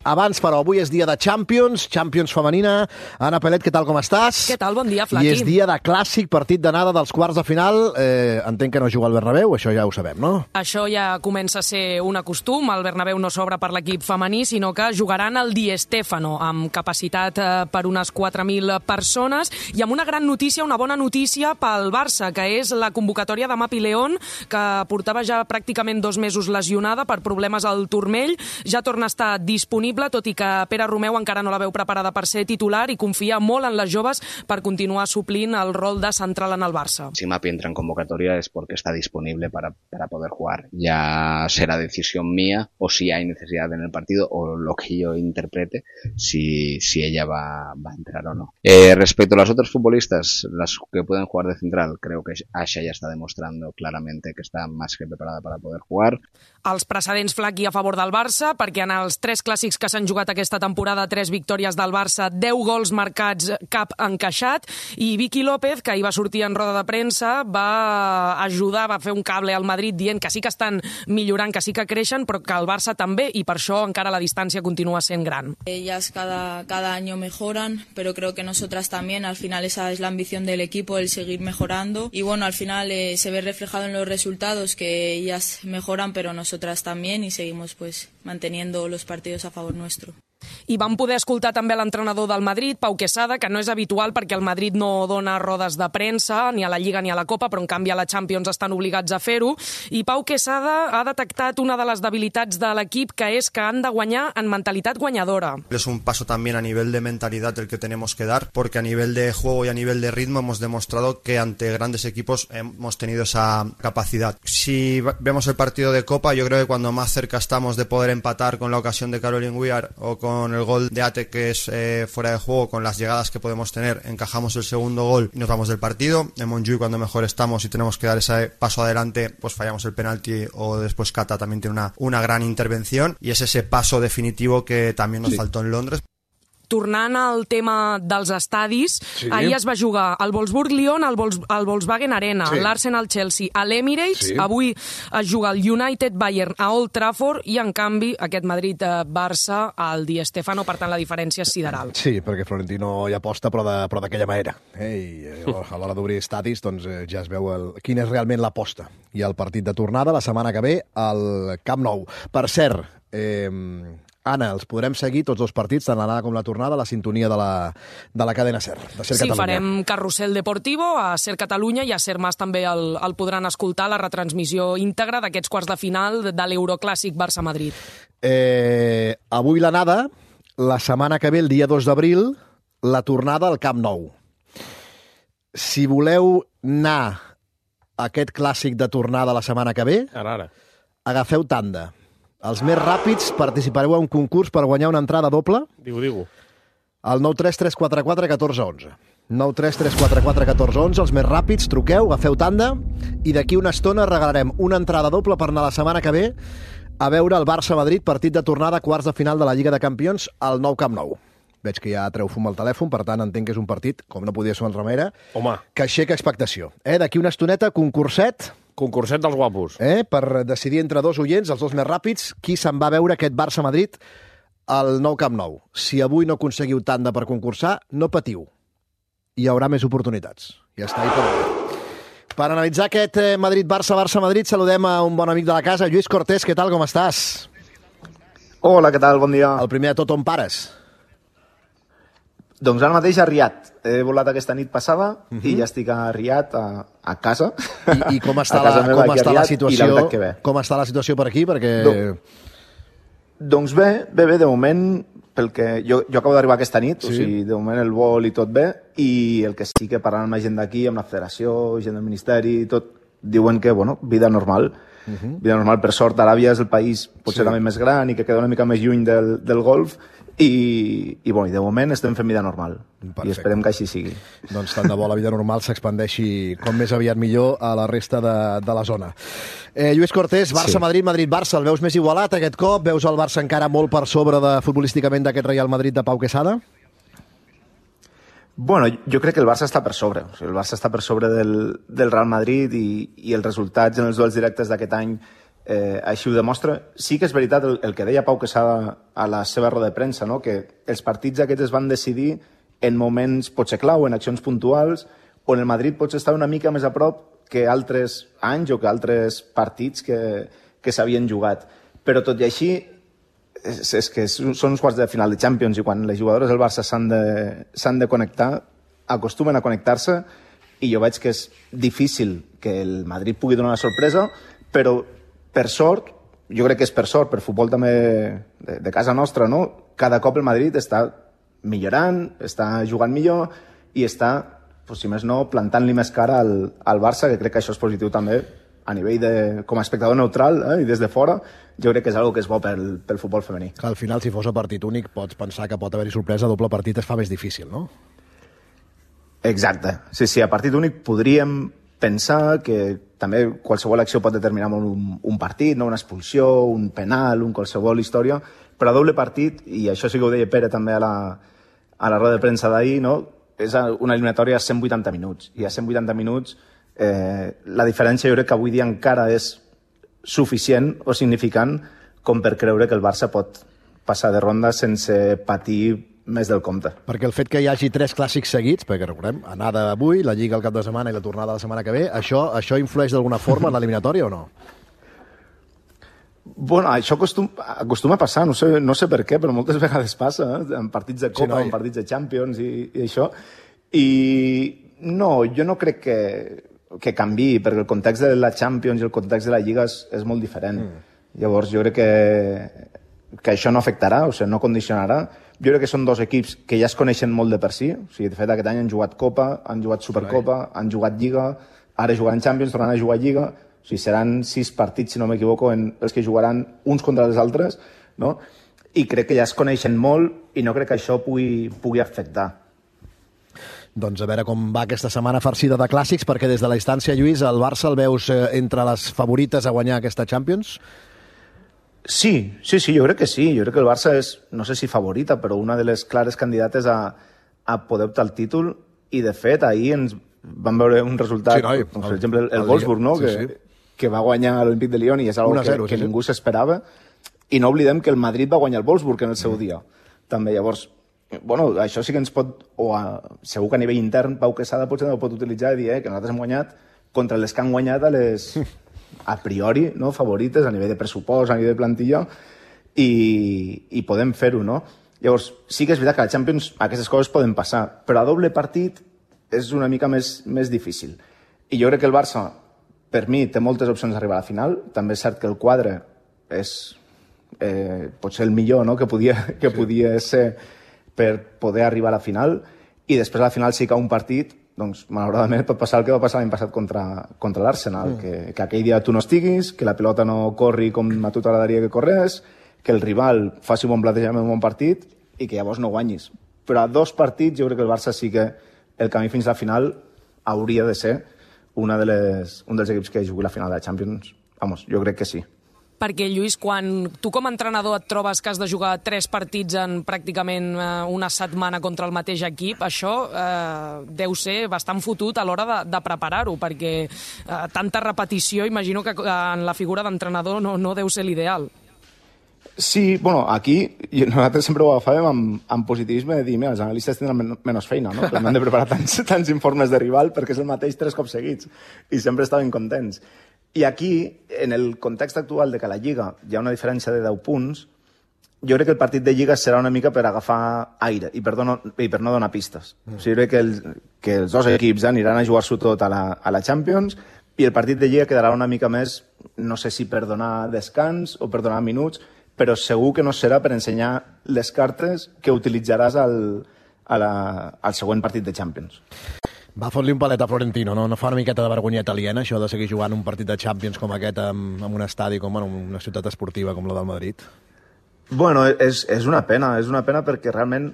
Abans, però, avui és dia de Champions femenina. Anna Pelet, què tal, com estàs? Què tal? Bon dia, Flaqui. I és dia de clàssic, partit d'anada dels quarts de final. Entenc que no juga al Bernabéu, això ja ho sabem, no? Això ja comença a ser un acostum. El Bernabéu no s'obre per l'equip femení, sinó que jugaran al Di Stéfano, amb capacitat per unes 4.000 persones. I amb una gran notícia, una bona notícia pel Barça, que és la convocatòria de Mapi León, que portava ja pràcticament 2 mesos lesionada per problemes al turmell. Ja torna a estar disponible, tot i que Pere Romeu encara no la veu preparada per ser titular i confia molt en les joves per continuar suplint el rol de central en el Barça. Si Mapi entra en convocatoria es porque está disponible para poder jugar. Ya será decisión mía o si hay necesidad en el partido o lo que yo interprete, si ella va a entrar o no. Respecto a las otras futbolistas, las que pueden jugar de central, creo que Asha ya está demostrando claramente que está más que preparada para poder jugar. Els precedents, Flaqui, a favor del Barça, perquè en els 3 clàssics que s'han jugat aquesta temporada, 3 victòries del Barça, 10 gols marcats, cap encaixat, i Vicky López, que ahir va sortir en roda de premsa, va ajudar, va fer un cable al Madrid dient que sí que estan millorant, que sí que creixen, però que el Barça també, i per això encara la distància continua sent gran. Ellas cada año mejoran, pero creo que nosotras también. Al final esa es la ambición del equipo, el seguir mejorando. Y bueno, al final se ve reflejado en los resultados que ellas mejoran, pero nosotras también, y seguimos pues manteniendo los partidos a favor nuestro. I vam poder escoltar també l'entrenador del Madrid, Pau Quesada, que no és habitual perquè el Madrid no dona rodes de premsa, ni a la Lliga ni a la Copa, però en canvi a la Champions estan obligats a fer-ho. I Pau Quesada ha detectat una de les debilitats de l'equip, que és que han de guanyar en mentalitat guanyadora. Es un paso también a nivel de mentalidad el que tenemos que dar, porque a nivel de juego y a nivel de ritmo hemos demostrado que ante grandes equipos hemos tenido esa capacidad. Si vemos el partido de Copa, yo creo que cuando más cerca estamos de poder empatar con la ocasión de Caroline Weir o con el gol de Ate, que es fuera de juego, con las llegadas que podemos tener, encajamos el segundo gol y nos vamos del partido. En Montjuïc, cuando mejor estamos y tenemos que dar ese paso adelante, pues fallamos el penalti, o después Cata también tiene una gran intervención, y es ese paso definitivo que también nos faltó en Londres. Tornant al tema dels estadis, ahir es va jugar al Wolfsburg-Lyon, al Volkswagen Arena, l'Arsenal-Chelsea, a l'Emirates, avui es juga el United-Bayern a Old Trafford, i en canvi aquest Madrid-Barça al Di Stéfano, per tant la diferència és sideral. Sí, perquè Florentino hi aposta, però d'aquella manera. I a l'hora d'obrir estadis doncs, ja es veu quina és realment l'aposta. I el partit de tornada la setmana que ve al Camp Nou. Per cert, Anna, els podrem seguir tots 2 partits, tant l'anada com la tornada, a la sintonia de la cadena SER, de SER Catalunya. Sí, farem Carrusel Deportivo a SER Catalunya, i a SER Mas també el podran escoltar, la retransmissió íntegra d'aquests quarts de final de l'Euroclàssic Barça-Madrid. Avui l'anada, la setmana que ve, el dia 2 d'abril, la tornada al Camp Nou. Si voleu anar a aquest clàssic de tornada la setmana que ve, agafeu tanda. Els més ràpids participareu a un concurs per guanyar una entrada doble. Digo. Al 93344 1411. 93344 1411, els més ràpids, truqueu, agafeu tanda, i d'aquí una estona regalarem una entrada doble per anar la setmana que ve a veure el Barça-Madrid, partit de tornada, quarts de final de la Lliga de Campions, al nou Camp Nou. Veig que ja treu fum al telèfon, per tant entenc que és un partit, com no podia ser una altra manera, que aixeca expectació. D'aquí una estoneta, concurset dels guapos. Per decidir entre 2 oients, els 2 més ràpids, qui se'n va veure aquest Barça-Madrid al nou Camp Nou. Si avui no aconseguiu tanda per concursar, no patiu. Hi haurà més oportunitats. Ja està ahí per analitzar aquest Madrid-Barça, Barça-Madrid, saludem a un bon amic de la casa, Lluís Cortés. Què tal, com estàs? Hola, què tal? Bon dia. El primer de tot, on pares? Doncs ara mateix a Riad. He volat aquesta nit passada i ja estic a Riad, a casa. I com està la situació? Com està la situació per aquí? Doncs bé, de moment, pel que jo acabo d'arribar aquesta nit, o sigui, de moment el vol i tot bé, i el que sí que parlant amb la gent d'aquí, amb la federació, gent del ministeri i tot, diuen que, bueno, vida normal. Vida normal, per sort, Aràbia és el país potser també més gran i que queda una mica més lluny del Golf, i de moment estem fent vida normal. Perfecte. I esperem que així sigui. Doncs tant de bo la vida normal s'expandeixi com més aviat millor a la resta de la zona. Lluís Cortés, Barça-Madrid, Madrid-Barça, el veus més igualat aquest cop? Veus el Barça encara molt per sobre futbolísticament d'aquest Real Madrid de Pau Quesada? Bueno, jo crec que el Barça està per sobre. O sigui, el Barça està per sobre del Real Madrid i els resultats en els duels directes d'aquest any així ho demostra. Sí que és veritat el que deia Pau Quesada a la seva roda de premsa, no? Que els partits aquests es van decidir en moments potser clau, en accions puntuals, on el Madrid potser estava una mica més a prop que altres anys o que altres partits que s'havien jugat. Però tot i així, és que són uns quarts de final de Champions i quan les jugadores del Barça s'han de connectar, acostumen a connectar-se, i jo veig que és difícil que el Madrid pugui donar la sorpresa, però per sort, jo crec que és per sort, per futbol també de casa nostra, no? Cada cop el Madrid està millorant, està jugant millor i està, si més no, plantant-li més cara al Barça, que crec que això és positiu també a nivell de, com a espectador neutral, i des de fora, jo crec que és una que és bo pel futbol femení. Al final, si fos a partit únic, pots pensar que pot haver-hi sorpresa, doble partit es fa més difícil, no? Exacte. Sí, a partit únic podríem pensar que també qualsevol acció pot determinar un partit, no? Una expulsió, un penal, qualsevol història, però a doble partit, i això sí que ho deia Pere també a la roda de premsa d'ahir, no? És una eliminatòria a 180 minuts, i a 180 minuts la diferència jo crec que avui dia encara és suficient o significant com per creure que el Barça pot passar de ronda sense patir més del compte. Perquè el fet que hi hagi 3 clàssics seguits, perquè recordem, anada avui, la Lliga el cap de setmana i la tornada la setmana que ve, això influeix d'alguna forma en l'eliminatòria o no? Bueno, això acostuma a passar, no sé per què, però moltes vegades passa, en partits de Copa, en partits de Champions i això. I no, jo no crec que canvi, perquè el context de la Champions i el context de la Lliga és molt diferent. Llavors jo crec que això no afectarà, o sigui, no condicionarà. Jo crec que són dos equips que ja es coneixen molt de per si. O sigui, de fet, aquest any han jugat Copa, han jugat Supercopa, han jugat Lliga, ara jugaran Champions, tornaran a jugar Lliga. O sigui, seran 6 partits, si no m'equivoco, els que jugaran uns contra els altres, no? I crec que ja es coneixen molt i no crec que això pugui afectar. Doncs a veure com va aquesta setmana farcida de clàssics, perquè des de la distància, Lluís, el Barça el veus entre les favorites a guanyar aquesta Champions? Sí, jo crec que sí. Jo crec que el Barça és, no sé si favorita, però una de les clares candidates a poder optar al títol, i de fet ahir ens vam veure un resultat, per exemple el Wolfsburg, no? Que va guanyar l'Olímpic de Lyon i és una cosa que ningú s'esperava, i no oblidem que el Madrid va guanyar el Wolfsburg en el seu dia també. Llavors, bueno, això sí que ens pot, segur que a nivell intern Pau Quesada potser no ho pot utilitzar i dir que nosaltres hem guanyat contra les que han guanyat a les a priori, no, favorites a nivell de pressupost, a nivell de plantilla, i podem fer-ho, no? Llavors, sí que és veritat que a la Champions aquestes coses poden passar, però a doble partit és una mica més difícil. I jo crec que el Barça, per mi, té moltes opcions d'arribar a la final. També és cert que el quadre és potser el millor, no?, que podia ser per poder arribar a la final, i després a la final sí que un partit, doncs malauradament pot passar el que va passar l'any passat contra l'Arsenal, que aquell dia tu no estiguis, que la pilota no corri com a tu t'agradaria que corres, que el rival faci un bon plantejament, un bon partit, i que llavors no guanyis. Però a 2 partits jo crec que el Barça sí que el camí fins a la final hauria de ser un dels equips que jugui la final de la Champions. Vamos, jo crec que sí. Perquè, Lluís, quan tu com a entrenador et trobes que has de jugar 3 partits en pràcticament una setmana contra el mateix equip, això deu ser bastant fotut a l'hora de preparar-ho, perquè tanta repetició, imagino que en la figura d'entrenador no deu ser l'ideal. Sí, bueno, aquí nosaltres sempre ho agafàvem amb positivisme de dir, mira, els analistes tindran menys feina, no? Però no han de preparar tants informes de rival perquè és el mateix 3 cops seguits i sempre estaven contents. I aquí, en el context actual de que a la Lliga hi ha una diferència de 10 punts, jo crec que el partit de Lliga serà una mica per agafar aire i per no donar pistes. O sigui, crec que els dos equips aniran a jugar-s'ho tot a la Champions i el partit de Lliga quedarà una mica més, no sé si per donar descans o per donar minuts, però segur que no serà per ensenyar les cartes que utilitzaràs al següent partit de Champions. Va fot-li un palet a Florentino, no? No fa una miqueta de vergonyeta aliena, això de seguir jugant un partit de Champions com aquest en un estadi, com en una ciutat esportiva com la del Madrid? Bueno, és una pena perquè realment,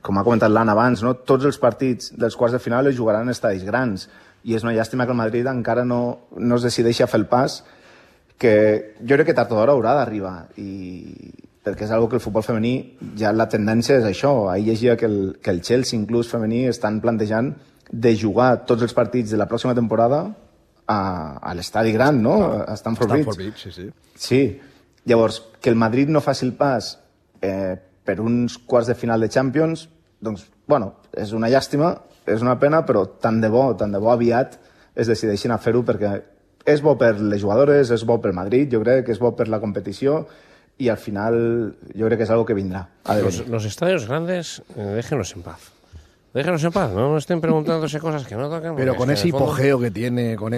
com ha comentat l'Anna abans, no? Tots els partits dels quarts de final es jugaran en estadis grans i és una llàstima que el Madrid encara no es decideixi a fer el pas, que jo crec que tard o d'hora haurà d'arribar, perquè és una que el futbol femení ja la tendència és això. Ahir llegia que el Chelsea, inclús femení, estan plantejant de jugar tots els partits de la pròxima temporada a l'estadi gran, no? A Stamford Bridge. Sí. Sí. Llavors, que el Madrid no faci el pas per uns quarts de final de Champions, doncs, bueno, és una llàstima, és una pena, però tant de bo aviat es decideixin a fer-ho, perquè és bo per les jugadores, és bo pel Madrid, jo crec que és bo per la competició, y al final yo creo que es algo que vendrá. Los estadios grandes, déjenos en paz. Déjenos en paz, no estén preguntándose cosas que no tocan. Pero con ese hipogeo que tiene, con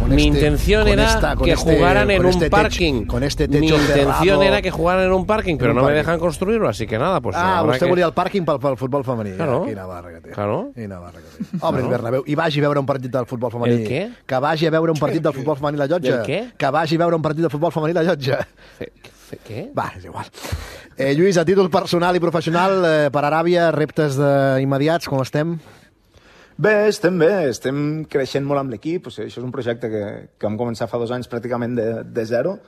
mi intención era que jugaran en un parking. Con este techo Mi intención cerrado. era que jugaran en un parking, pero no me dejan construirlo, así que nada, pues... vostè volia el pàrquing pel futbol femení. Claro. Quina barra que té. Claro. Quina barra que té. Obre el Bernabéu i vagi a veure un partit del futbol femení. El què? Que vagi a veure un partit del futbol femení la Llotja. El què? Que vagi a veure un partit del futbol femení la Llotja. Què? Va, és igual. Lluís, a títol personal i professional, per Aràbia, reptes immediats, com estem? Bé, estem creixent molt amb l'equip, o sigui, això és un projecte que vam començar fa 2 anys pràcticament de zero,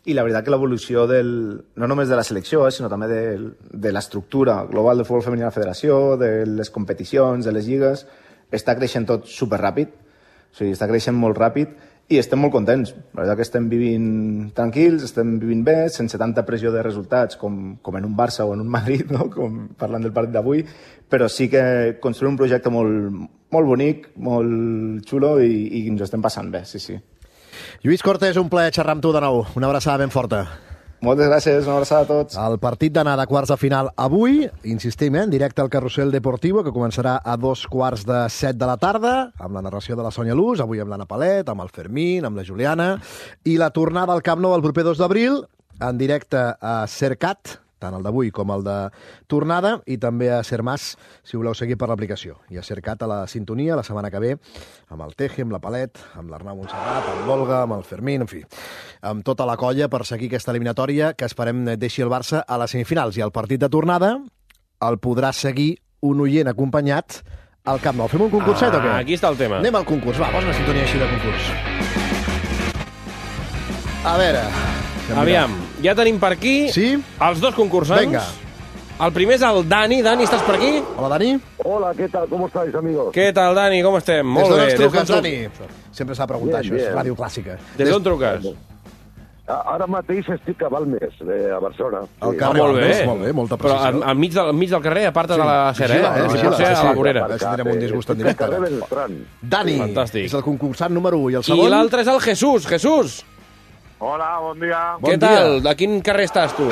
i la veritat que l'evolució no només de la selecció, sinó també de l'estructura global del futbol femení a la federació, de les competicions, de les lligues, està creixent tot superràpid, o sigui, està creixent molt ràpid, i estem molt contents. La veritat que estem vivint tranquils, estem vivint bé, sense tanta pressió de resultats com en un Barça o en un Madrid, no? Com parlant del partit d'avui, però sí que construir un projecte molt bonic, molt xulo i ens ho estem passant bé, sí. Lluís Cortés, un plaer xerrar amb tu de nou. Una abraçada ben forta. Moltes gràcies, una abraçada a tots. El partit d'anar de quarts de final avui, insistim, en directe al Carrusel Deportivo, que començarà a 2:45 de la tarda, amb la narració de la Sònia Luz, avui amb l'Anna Palet, amb el Fermín, amb la Juliana, i la tornada al Camp Nou el proper 2 d'abril, en directe a Sercat, tant el d'avui com el de tornada, i també a Sermàs, si voleu seguir per l'aplicació. I a Sercat a la sintonia, la setmana que ve, amb el Teje, amb la Palet, amb l'Arnau Montserrat, amb l'Olga, amb el Fermín, en fi, amb tota la colla per seguir aquesta eliminatòria que esperem deixi el Barça a les semifinals. I el partit de tornada el podrà seguir un oient acompanyat al Camp Nou. Fem un concurset o què? Aquí està el tema. Anem al concurs. Va, posa una sintonia així de concurs. A veure... Aviam, ja tenim per aquí els dos concursants. Venga. El primer és el Dani. Dani, estàs per aquí? Hola, Dani. Hola, ¿qué tal? ¿Cómo estáis, amigos? ¿Qué tal, Dani? Com estem? Molt bé. Des d'on ens truques, Dani? Sempre s'ha de preguntar, això és ràdio clàssica. Des d'on truques? Ara mateix estic a Balmes, a Barcelona. Al carrer Balmes, molt bé, molta precisió. Però al mig del carrer, a part de la Cera, si pot ser a la vorera. Si tindrem un disgust en directe. Dani, és el concursant número 1. I el segon? I l'altre és el Jesús. Jesús. Hola, bon dia. Què tal? De quin carrer estàs, tu?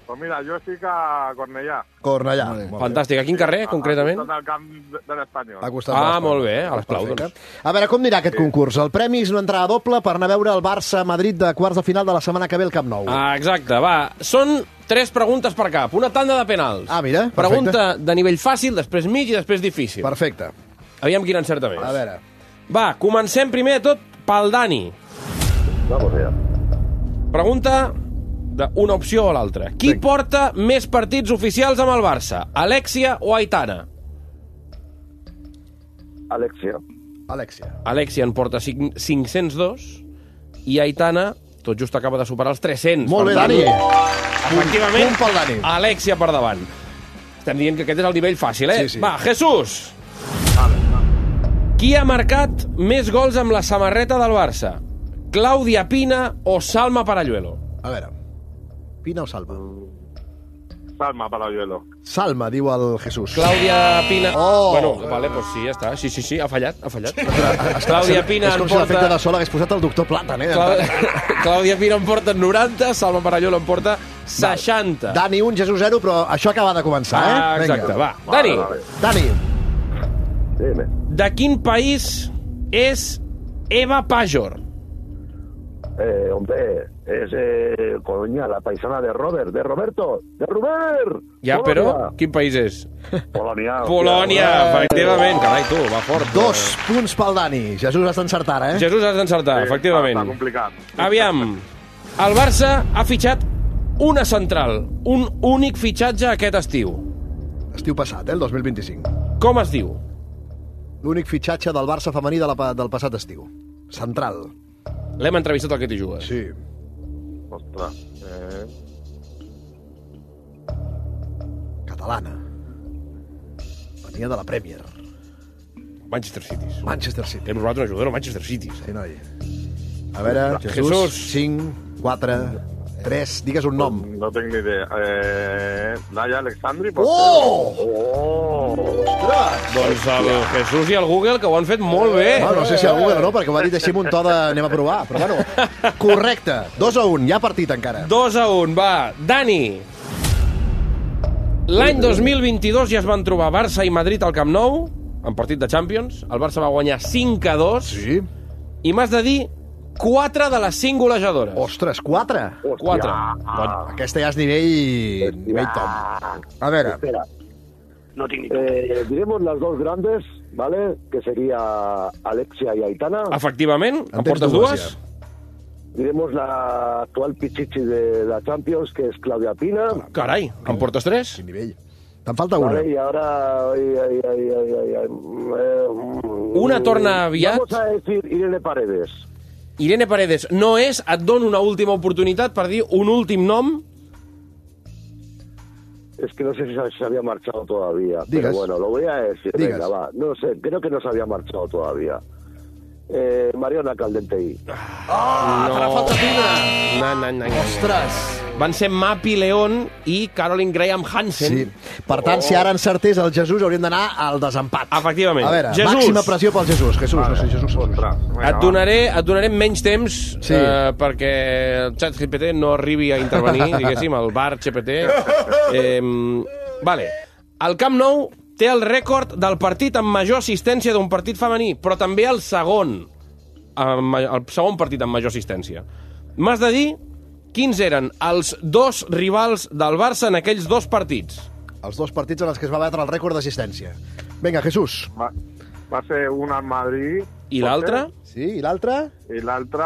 Pues mira, jo estic a Cornellà. Cornellà. Fantàstic. A quin carrer, concretament? A costat del camp de l'Espanyol. Ah, molt bé, a l'Esplau, doncs. A veure, com anirà aquest concurs? El premi és una entrada doble per anar a veure el Barça-Madrid de quarts de final de la setmana que ve al Camp Nou. Ah, exacte, va. Són 3 preguntes per cap, una tanda de penals. Ah, mira, perfecte. Pregunta de nivell fàcil, després mig i després difícil. Perfecte. Aviam quin encerta més. A veure. Va, comencem primer de tot pel Dani. Vamos allá. Pregunta d'una opció o l'altra. Qui porta més partits oficials amb el Barça? Alexia o Aitana? Alexia. Alexia en porta 502 i Aitana tot just acaba de superar els 300. Molt bé, Dani. Efectivament, punt pel Dani. Alexia per davant. Estem dient que aquest és el nivell fàcil, eh? Sí. Va, Jesús. Qui ha marcat més gols amb la samarreta del Barça? Clàudia Pina o Salma Paralluelo? A veure, Pina o Salma? Salma Paralluelo. Salma, diu el Jesús. Clàudia Pina... Oh! Bueno, vale, pues sí, ja està. Sí, ha fallat. Clàudia Pina és com si l'efecte de sol hagués posat el doctor Platan, eh? Clàudia Pina en porta 90, Salma Paralluelo en porta 60. Dani 1, Jesús 0, però això acaba de començar, eh? Ah, exacte, va. Dani. Dani. Dime. De quin país és Eva Pajor? Hombre, es Coruña, la paisana de Roberto. Ja, Polonia. però quin país és? Polònia, efectivament. Carai, tu, va fort. 2 punts pel Dani. Jesús has d'encertar, eh? Jesús, has d'encertar, efectivament. Està complicat. Aviam, el Barça ha fitxat una central, un únic fitxatge aquest estiu. Estiu passat, el 2025. Com es diu? L'únic fitxatge del Barça femení del passat estiu. Central. L'hem entrevistat al Que t'hi jugues. Sí. Ostres. Catalana. Venia de la Premier. Manchester City. Manchester City. Hem robat un jugador al Manchester City. Sí, noi. A veure, Jesús, 5, 4, 3, digues un nom. No tinc ni idea. Naya Alexandri? Ostres! Doncs el Jesús i el Google, que ho han fet molt bé. No sé si el Google o no, perquè ho ha dit així amb un to de anem a provar. Però bueno, correcte. 2-1, hi ha partit encara. 2-1, va. Dani. L'any 2022 ja es van trobar Barça i Madrid al Camp Nou, en partit de Champions. El Barça va guanyar 5-2. Sí. I m'has de dir 4 de les 5 golejadores. Ostres, 4? 4. Aquesta ja és nivell top. A veure. Espera. No tinc ni idea. Diremos las dos grandes, ¿vale? Que sería Alexia y Aitana. Efectivament, em portes dues? Diremos la actual pichichi de la Champions, que es Claudia Pina. Carai, em portes 3? Quin nivell. Te'n falta una. Vale, y ahora... Una torna aviat. Vamos a decir Irene Paredes. Irene Paredes no és, et dono una última oportunitat per dir un últim nom. Es que no sé si se había marchado todavía. Digas. Pero bueno, lo voy a decir. Digas. Venga, va. No sé, creo que no se había marchado todavía. Mariona Caldentey. Farà falta una. No. Ostres. Van ser Mapi León i Caroline Graham Hansen. Sí. Per tant, si ara encertés el Jesús, hauríem d'anar al desempat. Efectivament. A veure, Jesús. Màxima pressió pel Jesús. Jesús, no sé, Jesús. Et donaré menys temps Sí. perquè el xat GPT no arribi a intervenir, diguéssim, el bar GPT. Vale. El Camp Nou té el rècord del partit amb major assistència d'un partit femení, però també el segon partit amb major assistència. M'has de dir quins eren els dos rivals del Barça en aquells dos partits. Els dos partits en els que es va batre el rècord d'assistència. Vinga, Jesús. Va ser una al Madrid. I l'altre? Sí, i l'altre? I l'altre,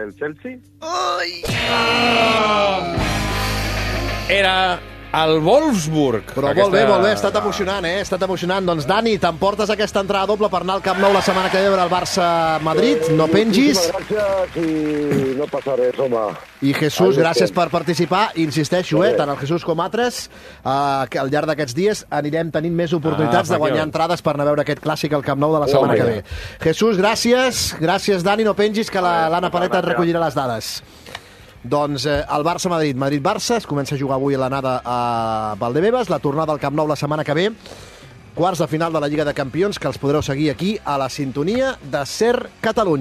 el Chelsea. Era el Wolfsburg. Però molt bé, ha estat emocionant, Ha estat emocionant. Doncs, Dani, t'emportes aquesta entrada doble per anar al Camp Nou la setmana que ve a veure el Barça-Madrid. No pengis. Muchísimas gracias y no pasaré, Soma. I Jesús, gràcies per participar. Insisteixo, tant el Jesús com altres, que al llarg d'aquests dies anirem tenint més oportunitats de guanyar entrades per anar a veure aquest clàssic al Camp Nou de la setmana que ve. Jesús, gràcies. Gràcies, Dani. No pengis, que l'Anna Paleta et recollirà les dades. Doncs el Barça-Madrid, Madrid-Barça, es comença a jugar avui a l'anada a Valdebebas, la tornada al Camp Nou la setmana que ve, quarts de final de la Lliga de Campions, que els podreu seguir aquí a la sintonia de SER Catalunya.